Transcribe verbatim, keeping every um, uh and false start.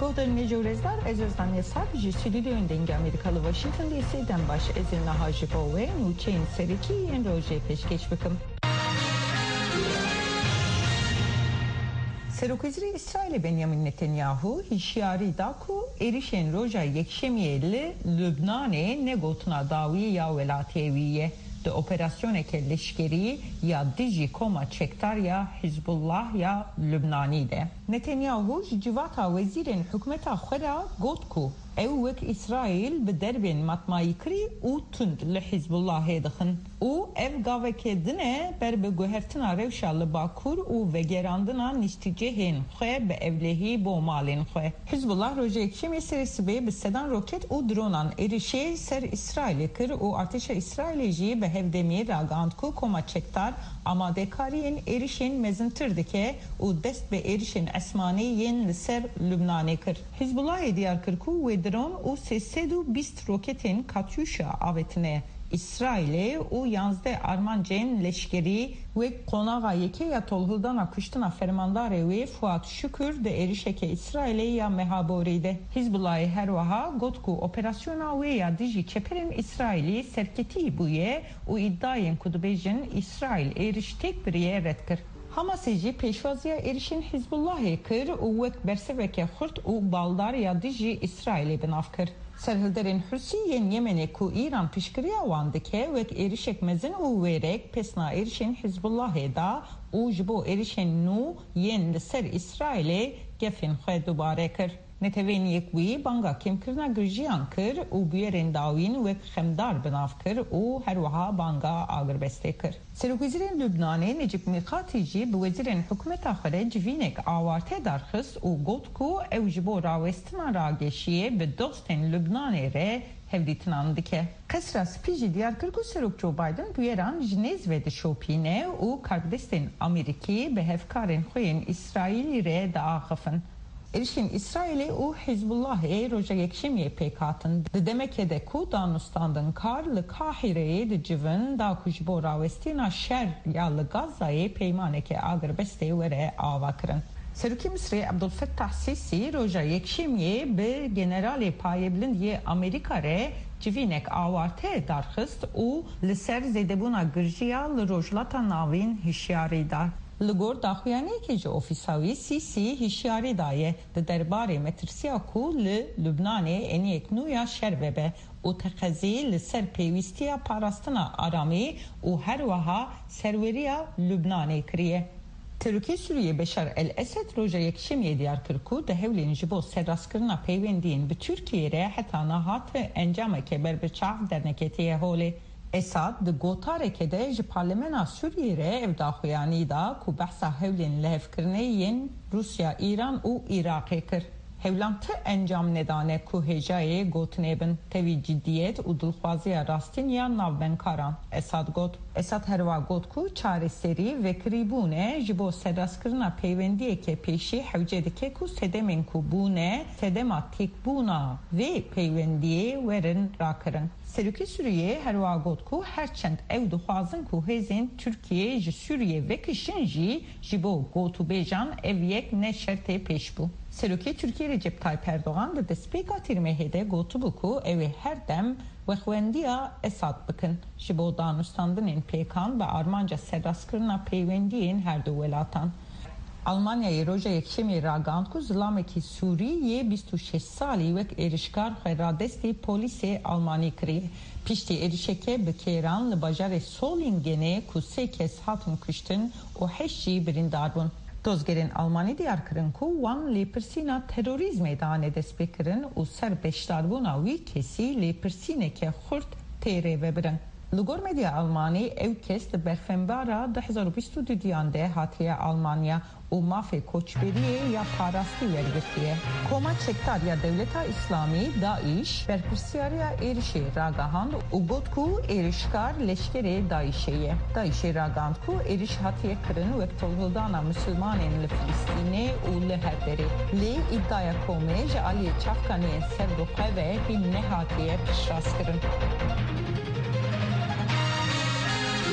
Doxtorên hêja û rêzdar, ez Ozan Yasar ji stûdyoyên Dengê Amerîka li Washington D C dem baş. Ez ê niha ji bo we nûçeyên serekî yên rojê pêşkêş bikim. Serokwezîrê Îsraîlê Benjamin Netanyahu hişyarî da ku êrişên roja Yekşemiyê li Lubnanê ne gotina dawî ya welatê wî ye. Di operasyoneke leşkerî ya dijî koma çekdar ya Hizbullah ya Lubnanî de. Netanyahu ji civata wezîrên hikûmeta xwe re got ku ew wek Îsraîl bi derbên matmayîkirî û tund li Hizbullahê dixin û ev gaveke din e ber bi guhertina rewşa li Bakur û vegerandina niştîcihên xwe bi ewlehî bo malên xwe. Hizbullah rojê Yekşemê serê sibê bi sedan roket û dronan êrişê ser Îsraîlê kir û artêşa Îsraîlê jî bi hevdemî ragihand ku koma çekdar amadekariyên êrişên mezintir dike û dest bi êrişên esmanî yên li ser Lubnanê kir. Hizbullahê diyar kir ku wê dron û sê sed û bîst roketên Katyuşa avêtine Îsraîlê û yanzdeh armancên leşkerî wek qonaxa yekê ya tolhildana kuştina fermandarê wê Fuat Şukur di êrişeke Îsraîlê ya meha borî de. Hizbullahê her wiha got ku operasyona wê ya dijî çeperên Îsraîlî serketî bûye û îdayên ku dibêjin Îsraîl êriş têk biriye red kir. Hamasê jî pêşwaziya êrişên Hizbullahê kir û wek bersiveke xurt û baldar ya dijî Îsraîlê bi nav kir. Serhilderên Husî yên Yemenê ku Îran piştgiriya wan dike, wek êrişek mezin û wêrek pesna êrişên Hizbullahê da û ji bo êrişên nû yên li ser Îsraîlê gefên xwe dubare kir. Netewên Yekbûyî banga kêmkirina girjiyan kir û bûyerên dawîn wek xemdar bi nav kir û her wiha banga agirbestê kir. Serokwezîrên Lubnanê Necib Mîqatî jî bi wezîrên hikûmeta xwe re civînek awarte darxist û got ku ew ji bo rawestina rageşiyê bi dostên Lubnanê re hevdîtinan dike. Qesra Spî jî diyar kir ku Serok Joe Biden bûyeran ji nêz ve dişopîne û karbidestên Amerîkî bi hevkarên xwe yên Îsraîlî re diaxifin. Êrişên Îsraîlê û Hizbullahê roja Yekşemiyê pêk hatin. Di demeke de ku danûstandinkar li Qahîreyê dicivin, da ku ji bo rawestîna şer ya li Gazayê peymaneke agirbestê were avakirin. Serokê Misirê Ebdulfettah Sîsî roja Yekşemiyê bi generalê payebilind yê Amerîka re civînek awarte darxist û li ser zêdebûna girjiya li Rojhilata Navîn hişyarî da. Li gor daxuyaniyekê ji ofîsa wî, Sîsî hişyarî daye di derbarê metirsiya ku li Lubnanê eniyek nû ya şer vebe û teqezî li ser pêwîstiya parastina aramî û her wiha serweriya Lubnanê kiriye. Serokê Sûriyê Beşar El Esed roja Yekşemiyê diyar kir ku di hewlên ji bo serrastkirina peywendiyên bi Tirkiyê re heta niha ti encameke berbiçav derneketiye holê. Esad di gotareke de ji Parlemena Sûriyê re ev daxuyanî da ku behsa hewlên lihevkirinê yên Rûsya, Îran û Iraqê kir. Hewlan ti encam nedane ku hêjayê gotinê bin. Tevî ciddiyet û dilxwaziya rastîn ya navbendkaran, Esad got. Esad herwa got ku çareserî vekirîbûn e, ji bo serrastkirina peywendiyeke pêşî hewce dike ku sedemên ku bûne sedema têkbûna vê peywendiyê werin rakirin. Serokê Sûriyê herwiha got ku her çend ew dixwazin ku hêzên Tirkiyê ji Sûriyê vekişin jî, ji bo gotûbêjan ev yek ne şertê pêşbû. Serokê Tirkiyê Recep Tayyip Erdogan di destpêka tîrmehê de gotibû ku ew ê her dem wexwendiya Esad bikin ji bo danûstandinên pêkan bi armanca serrastkirina peywendiyên her du welatan. Almanyayê roja Yekşemê ragihand ku zilamekî Sûrî yê bîst û şeş salî wek êrişkar xwe radestî polîsê Almanî kiriye. Piştî êrişeke bi kêran li bajarê Solingenê ku sê kes hatin kuştin û heşt jî birîndar bûn. Dozgerên Almanî diyar kirin ku wan lêpirsîna terorîzmê dane destpêkirin û ser beşdarbûna wî kesî lêpirsîneke xurt tê rêvebirin. Li gor medya Almanî, ew kes di berfenbara du hezar û bîst û duyan de hatiye Almanya û mafê koçberiyê ya parastî wergirtiye. Koma çekdar ya Dewleta Îslamî, DAIŞ, berpirsiyariya êrişê ragihand û got ku êrişkar leşkerê DAIŞê ye. DAIŞê ragihand ku êriş hatiye kirin wek tolhildana misilmanên li Filistînê û li her derê. Lê îdaya komê ji aliyê çavkaniyên serbixwe ve hîn nehatiye piştrast kirin.